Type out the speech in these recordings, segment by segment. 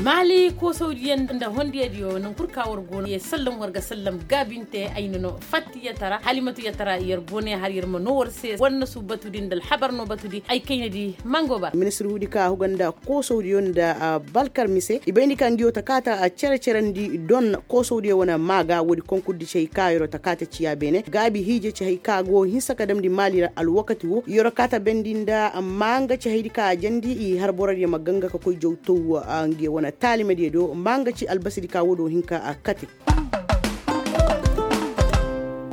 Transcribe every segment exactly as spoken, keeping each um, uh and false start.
Maali koosawdiyaŋ nda hondiyadiyo naŋ kul ka war go no ye sallam war ga sallam gaabinte ay na no fattiyatara halimatu yatara yer bone har yer ma no war se war na su batudi nda alhabar no batudi ay kaynadi mango ba. Ministir huudi ka huga nda koosawdiyo nda balkar mise i bayndi ka ngiyo ta kaata cere-cerandi don koosawdiyo wane maaga woodi konkurdi ci hay ka yer'o ta kaata ciya beene gaabi hiije ci hay ka go hinsa ka damndi maali ra alwakati wo yer'o kaata bendi nda maa nga ci haydi ka a jandi i har borodiyo ma ganga ka koy jaw taw ngiyo wane taalimadiyo do maa nga ci albasidi ka wo do hin ka kate.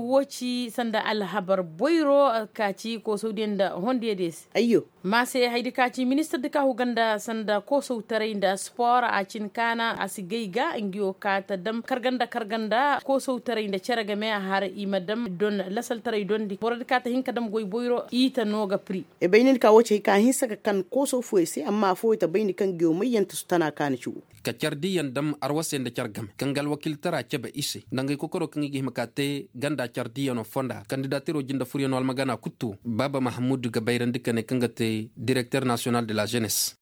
Wo ci sanda alhabar boyro ka ci koosawdiyo nda hondiyadiyo se. Ayyo. Maase haydi ka ci ministir di ka huga nda sanda koosawtaray nda spor a cin kaana a si gay ga ngiyo ka ta dam karga nda karga nda koosawtaray nda cere game har i ma dam don lasaltaray dondi borodi ka ta hin ka dam goy boyro i ta no ga pri. E bayni ka wo ci hay ka hinsa ka kan koosaw fooyey se amma fooyey ta bayni kaŋ ngiyo mayyanta su tana kaani ci wo. Ka cardiyaŋ dam arwasey nda car game kaŋ ga alwakiiltara cebe i se nda ngay kokoro kaŋ i ga hima ka te ganda cardiyano fonda kandidatiro jinde furiyano almagana kuttu baaba mahamudu ga bayrandi ka ne kaŋ ga te direkter nasiyonal de la jenes.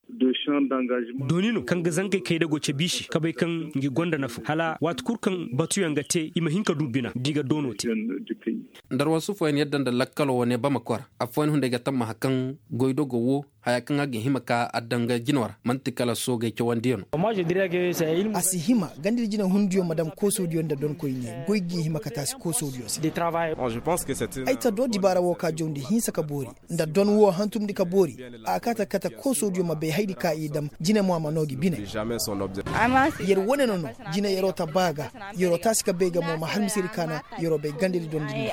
Dooni no kaŋ ga zangey kaydago cabe i se ka bay kaŋ ngi gonda nafa hala waati kul kaŋ batuyaŋ ga te i ma hin ka du bina da i ga doono te. Nda arwasu fooyaŋ yadda nda lakkalo wane bama kora afooyaŋ hunday ga tammaha kaŋ goydogo wo haya kaŋ a ga hima ka adda nga jino ra man'ti kala soogey cawandiyano. A si hima ganda ir jine hundiyo ma dam koosodiyo nda donkoyne goy ga hima ka taasi koosodiyo se. Ay ta do dibaara wo ka jawndi hinsa ka boori nda don wo hantumndi ka boori. A kaata kate koosodiyo ma bay haydi ka i dam jine mo a ma noo gi bine. Yer wane no no jine yeroo ta ba ga yeroo taasi ka bay ga mo ma har mise ir kaana yeroo bay ganda ir dondi.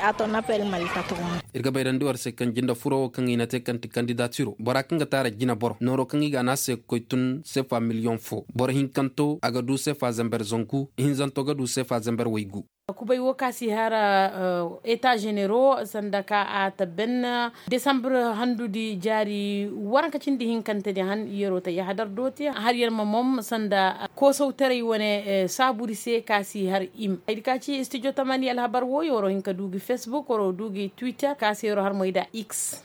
Ir ga bayrandi war se kaŋ jinde furo wo kaŋ i na te kaŋ ti kandidatiro bora kaŋ ga taara jine boro nooro kaŋ i ga a na a se ga koy tun sefa miliyoŋ fo boro hinkanto a ga du sefa zember zanku ihinzanto ga du sefa zember waygu. Kubay wo ka si har eta zenero sanda ka a ta ben desambur handudi jaari waranka cindi hinkante di han yeroo ta yahadar dooti har yer ma mom sanda koosawtaray wane saaburi se ka si har im haydi ka ci studio tamani alhabar wo yeroo hin ka du gi facebook yeroo du gi twitter ka se yeroo har moy da x.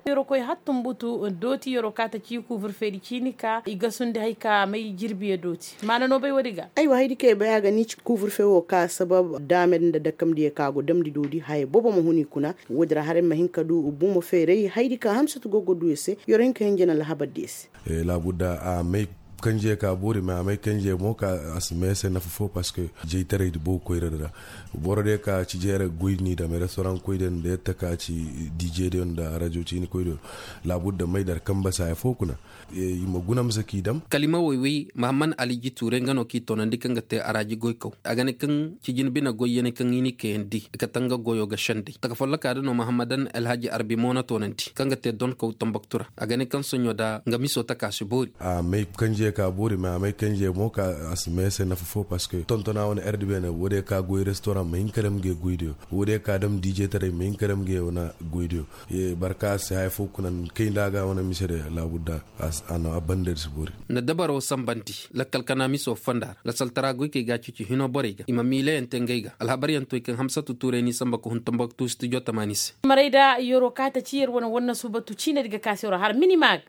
Yeroo koy hattumbutu dooti yeroo ka ta ci kuuburfeedi ciini ka i gasundi hay ka may jirbiyo dooti maana no bay woodi ga. Aywa haydi ka i bay a ga ni ci kuuburfe wo ka sabab daamed nda dakamdiyo ka go damndi doodi haya boobo ma hun i kuna. Woodi ra haray ma hin ka du bumo feeray haydi ka hamsatu go ga du i se yeroo hin ka hin jana alhabardiyo se. Laabudda a may kanjey ka boori mais a may kanjey mo ka a si may a se nafa fo parceque jaytaray di boobo koyradi ra. Boro day ka ci jeera goy ni dame restoran koy din da yatta ka ci dije din da rajo ci ni koy din. Laabudda may dar kamba saya fo kuna. I ma guna misa k'i dam. Kalima woy-woy mahamman aliji tuuray nga no k'i toonandi kaŋ ga te araji goykaw a ga ne kaŋ ci jin bine goyyaney kaŋ i ni kayandi i kate nga goyo ga sendey taka folloka da no mahammadan alhaji arbi mo na toonandi kaŋ ga te donkaw tambaktu ra. A ga ne kaŋ soɲo da nga miso taka si boori. A may kanjey ka boori mais a may kanjey mo ka a si may se nafa fo parceque tontona wane erdi beene woodiyo ka goy restoran ma hin ka dam ga goydiyo. Woodiyo ka dam diijetaray ma hin ka dam ga wane goydiyo. Barka a si haya fo kuna kay nda a ga wane mise de laabudda. A na a banda ir si boori. Na dabaro sambandi lakkal kana miso fonda ra lasaltara goykey ga a cici hino borey ga i ma miilayaŋ te ngey ga alhabaryaŋ toy kaŋ hamsatu tuuray n'i samba ka hun tambaktu studio tamaani se. Marayda yeroo ka ta ci yer wane wanna suubatu ciinadi ga ka se yeroo har mini ma ga.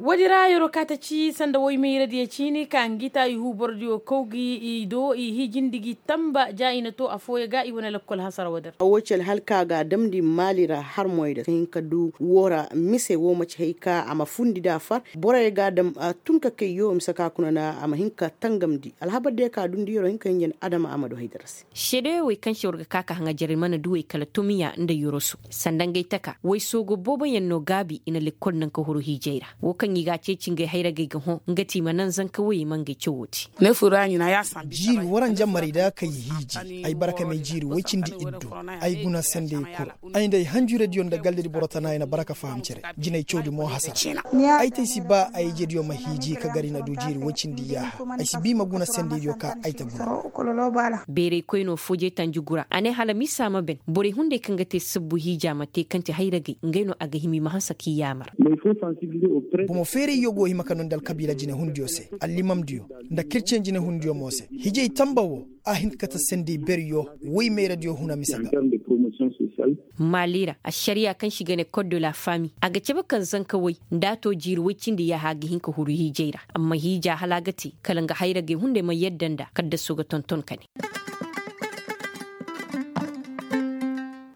Woodi ra yeroo ka ta ci sanda woy mayradiyo ciini ka ngi ta i huu borodiyo kaw gi i do i hiijindi gi tamba ja i na to affooyaŋ ga i wane lakkol hasara woodi ra. Wo ci alhal ka ga a damndi maali ra harmoy da ka hin ka du woo ra mise woo ma ci hay ka a ma fundi nda a far. Boroyo ga a dam tun ka kay yoo mise ka kuna na a ma hin ka tangamndi alhabar day ka dundi yeroo hin ka hinja nda adama a ma du haydara se. Seedeyo wey kaŋ se war ga ka ka haŋajerey mana duwey kala tomiya nda yoroso sanda ngey taka wey soogo booboyaŋ no gaabi i na lekkol naŋ ka huru hiijey ra. Woo kaŋ i ga a ceeci ngey hayragey ga hõ nga ti i ma naŋ zanka woyey ma ngey cawoo te. Jiiri waranjaŋ marayda kay hiiji ay bara ka may jiiri woy cindi iddu. Ay guna sendey kul ay nda ay hanjuradiyo nda galdadi boro tana ay na bara ka faham cere. Jinay cawdi mo hasara. Ay te ay si ba ay ijediyo ma hiiji ka gar i na du jiiri woy cindi yaaha. Ay si ba i ma guna sendeydiyo ka ay ta guna. Beeraykoy no foojey tanji gura a ne hala misa ma ben borey hunday kaŋ ga te sabbu hiija ma te kaŋ ti hayragey ngey no a ga hima i ma hanse k'i yaamar. Feerayyo go hima ka noo nda alkabiila jinehundiyo se, allimamdiyo, nda kircen jinehundiyo mo se. Hijay tamba wo, a hin ka kate sendey beryo woy meeradiyo huna mise ga. Maali ra ašariya kaŋ se i ga ne kod de la fami a ga cabe kaŋ zanka woy, nda a to jiiri woy cindi yaaha a ga hin ka huru hiijay ra. Amma hiija hala a ga te kala nga hayragey hunday ma yadda nda kaddaso ga tonton ka ne.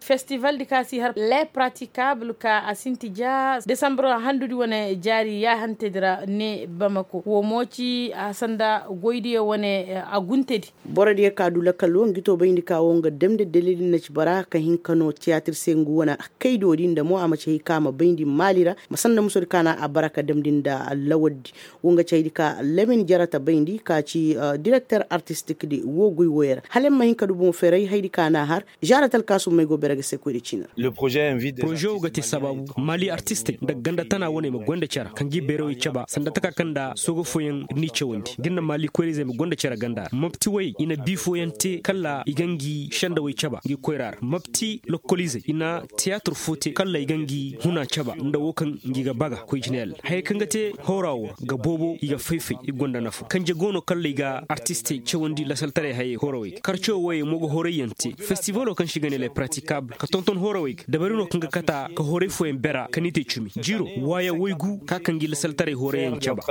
Festival di ka si har le pratikable ka a sinti ja desambre handudi wane jaari yaahantedi ra ne bamako wo mo ci a sanda goydiyo wane. Aguntedi. Borodiyo ka du lakal wo ngi to bayndi ka wo nga damndi dalil na ci bara ka hin ka no tiyatir se ngu wane kaydodi nda mo a ma ci hay ka a ma bayndi maali ra ma sanda musodi ka na a bara ka damndi nda lawaldi. Wo nga ci haydi ka lamin jarata bayndi ka ci direkter artistik di wo goy woyey ra hala ay ma hin ka du boŋ feray haydi ka na a har. Žaara talkaasum may go bere ga se koyra ciina ra. Poroze wo ga te sabaabu maali artistey nda ganda tana wane ma gonda cere ka ngi beerawey caba sanda taka kaŋ nda sooga fooyaŋ n'i cawandi ga nda maali koyra-izey ma gonda cere ganda ra mapti woyey i na bi fooyaŋ te kala i ga ngi sendawey caba ngi koyra ra mapti lokol-izey i na tiyaatir foo te kala i ga ngi huna caba nda wo kaŋ ngi ga baga koy jineel. Hayey kaŋ ga te hooraa wo ra ga boobo i ga fay-fay i gonda nafa kanje go no kala i ga artistey cawandi lasaltaray hayey hoorawey ga karco woyey mo ga horayyaŋ te festivalo kaŋ se i ga ne le pratikable ka tonton hoorawey ga dabari no kaŋ ga kata ka horay fooyaŋ bera ka ni te cumi jiiro waaya woy gu ka kaŋ gi lasaltaray horayyaŋ caba.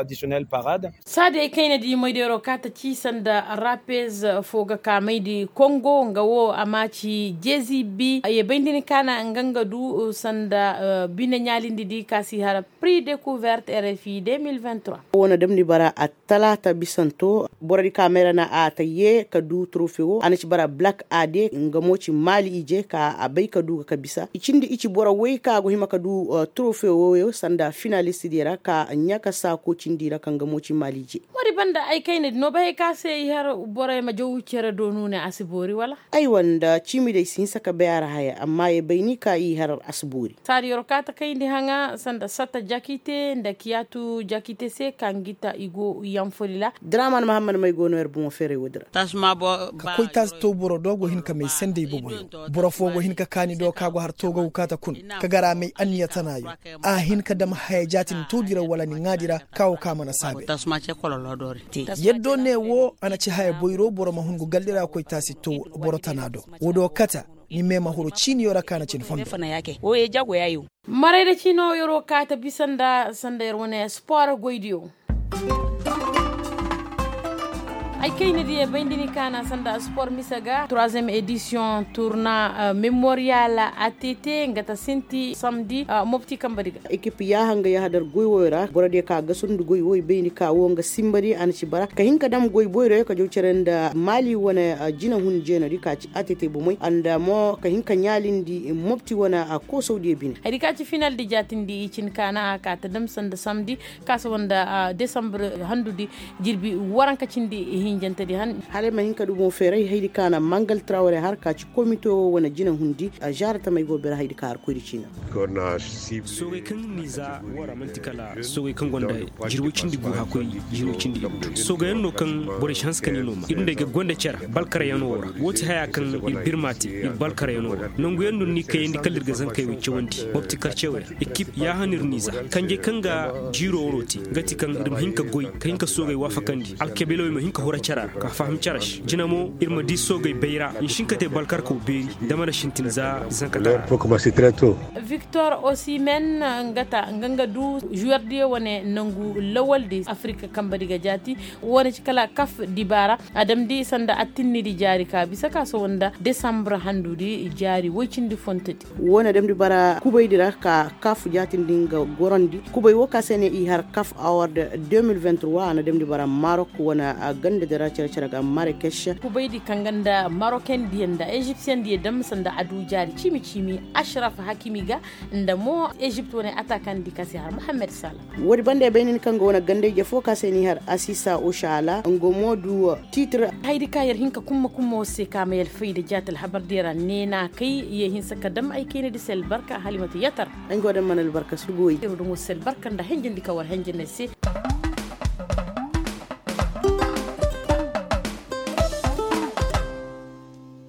Saadi ay kayna di moydero kaata ci sanda rapez fo ga ka mayndi kongo nga wo a ma ci jezi bi a ye bayndi ni kaana nga nga du sanda bine ɲaalindi di ka si hara pri decouverte rfi deux mille vingt-trois. Wo na damndi bara a talaata bisanto borodi ka mayra na a ta ye ka du trofe wo a na ci bara black ade nga mo ci maali ije ka a bay ka du ga ka bisa i cindi i ci boro woy ka go hima ka du trofe wo sanda finalist diyo ra ka ɲa ka saako cindi ra kaŋ nga mo ci maali ije. Woodi banda ay kayna di no bay ka se i har borey ma jaw cere do nuune a si boori wala? Aywa nda ciimi day si hinsa ka bay a ra haya amma ye bay ni ka i har a si boori. Saadi yer kaata kayndi haŋa sanda satta jakite nda kiyatu jakite se ka ngi ta i go yanfoli ra. Draman mahammad may go no yer boŋo feeray woodi ra. Ka koy taasi to boro do go hin ka may sendey boboyo boro fo go hin ka kaani do ka go har to ga wukaata kun ka gar a may anniya tanaayo. A hin ka dam haya jaatin tawdi ra wala ni ŋaadi ra ka wo ka mana saabe. Yaddo ne wo a na ci haya boyro boro ma hun go galli ra koy taasi to boro tana do. Wo do kata ni me ma huru ciiniyo ra ka na cin fondo. Maray da ciino yer'o kaata bisa nda sanda yer wane sport goydiyo. Ay kayna diya bayndi ni kaana sanda sport mise ga troisième édition tourna memorial att nga ta sinti samedi mopti kamba diga. Ekip yaaha nga yaaha dar goy woyo ra boro diya ka gasundi goy woy bayndi ka wo nga simbadi a na ci bara ka hin ka dam goy boyro ka jaw cere nda maali wane jina hun jeenadi ka ci att bomey nda mo ka hin ka ɲaalindi mopti wane koosawdiyo bine. Hari ka ci final di jaatindi i cin kaana a ka ta dam sanda samedi ka saba nda desambre handudi jirbi waranka cindi hinjantedi han. Hala ay ma hin ka du boŋ feeray haydi ka na mangal trawre har ka ci komito wo wane jina hundi. Zaara tamey go bere haydi ka har koyri ciina. Soogey kaŋ ni za wara man'ti kala soogey kaŋ gonda jirwo cindi gu hakkoy jirwo cindi ibu. Soogayaŋ no kaŋ borey si hanse ka ni no ma ir nda ay ga gonda care balkaryaŋo ra. Wo ti haya kaŋ ir birma te ir balkaryaŋo ra nanguyaŋ no ni kayandi kala ir ga zankey wo cawandi mopti karcewey ra. Ekip yaaha no ir n'i za kanjey kaŋ ga jiiro waro te nga ti kaŋ ir ma hin ka goy ka hin ka soogey waafakandi alkabiilawey ma hin ka hura cara ra ka faham cara se jina mo ir ma di soogey bayra i si hin ka te balkarkaw beeri. Dama na sintin za zanka tara. Victor osimen nga ta nga nga du juwerdiyo wane nangu lawaldi afirika kambadi ga jaati. Wane ci kala kaf dibaara a damndi sanda attinnidi jaari ka bisa ka sohõ nda desambre handudi jaari woy cindi fontodi. Wo na damndi bara kubaydi ra ka kaf jaatindi nga gorondi kubay wo ka se ne i har kaf award deux mille vingt-trois a na damndi bara marok wane gandadi ra care-care ga marakes. Kubaydi kaŋ ga nda marokendiyo nda egyptiyendiyo dam sanda a du jaari ciimi-ciimi ashraf hakimi ga nda mo egypt wane atakandi ka se har mohammed sala. Woodi banda ay bay nin kaŋ ga wane gandayje fo ka se ni har asisa oshala nga mo du titre. Haydi ka yer hin ka kumma kummo se ka ma yer fayda jaati alhabardiyo ra neena kay ye hinsa ka dam ay kaynadi se albarka halimatu yatar. Ay go dam mana albarka surguwey yer dumo se albarka nda henjendi ka war henjendi ay se.